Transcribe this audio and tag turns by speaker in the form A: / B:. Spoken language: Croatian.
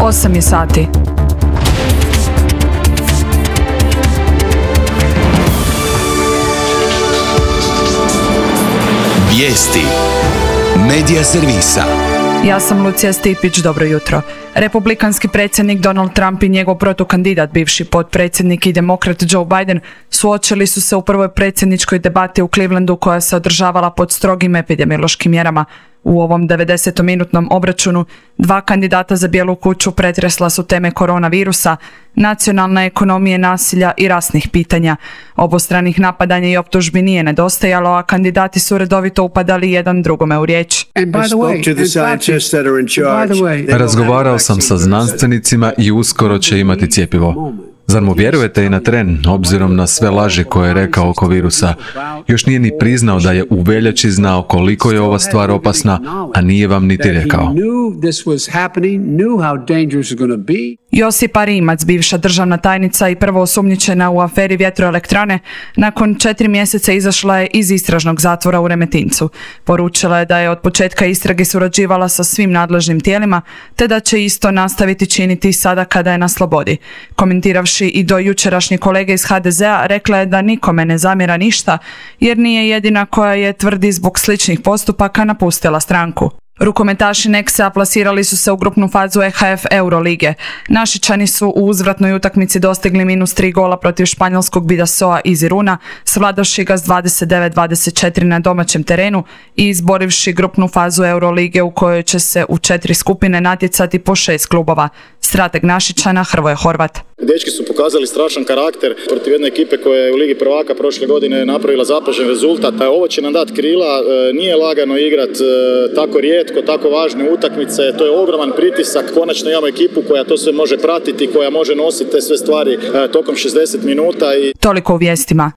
A: 8 je sati.
B: Vijesti Medija servisa.
A: Ja sam Lucija Stipić, dobro jutro. Republikanski predsjednik Donald Trump i njegov protukandidat, bivši potpredsjednik i demokrat Joe Biden, suočili su se u prvoj predsjedničkoj debati u Clevelandu koja se održavala pod strogim epidemiološkim mjerama. U ovom 90-minutnom obračunu dva kandidata za Bijelu kuću pretresla su teme koronavirusa, nacionalne ekonomije, nasilja i rasnih pitanja. Obostranih napadanja i optužbi nije nedostajalo, a kandidati su redovito upadali jedan drugome u riječ.
C: Razgovarao sam sa znanstvenicima i uskoro će imati cjepivo. Zar mu vjerujete i na tren, obzirom na sve laži koje je rekao oko virusa? Još nije ni priznao da je u veljači znao koliko je ova stvar opasna, a nije vam niti rekao.
A: Josipa Rimac, bivša državna tajnica i prvo osumnjičena u aferi vjetroelektrane, nakon 4 mjeseca izašla je iz istražnog zatvora u Remetincu. Poručila je da je od početka istrage surađivala sa svim nadležnim tijelima, te da će isto nastaviti činiti sada kada je na slobodi. Komentiravši i do jučerašnje kolege iz HDZ-a, rekla je da nikome ne zamjera ništa, jer nije jedina koja je, tvrdi, zbog sličnih postupaka napustila stranku. Rukometaši Nexa plasirali su se u grupnu fazu EHF Eurolige. Našičani su u uzvratnoj utakmici dostigli -3 gola protiv španjolskog Bidasoa iz Iruna, svladavši ga s 29-24 na domaćem terenu i izborivši grupnu fazu Eurolige u kojoj će se u 4 skupine natjecati po 6 klubova. Strateg Našičana Hrvoje Horvat.
D: Dečki su pokazali strašan karakter protiv jedne ekipe koja je u Ligi prvaka prošle godine napravila zapažen rezultat. Ovo će nam dati krila, nije lagano igrat tako rijetko, tako važne utakmice, to je ogroman pritisak. Konačno imamo ekipu koja to sve može pratiti, koja može nositi te sve stvari tokom 60 minuta.
A: Toliko u vijestima.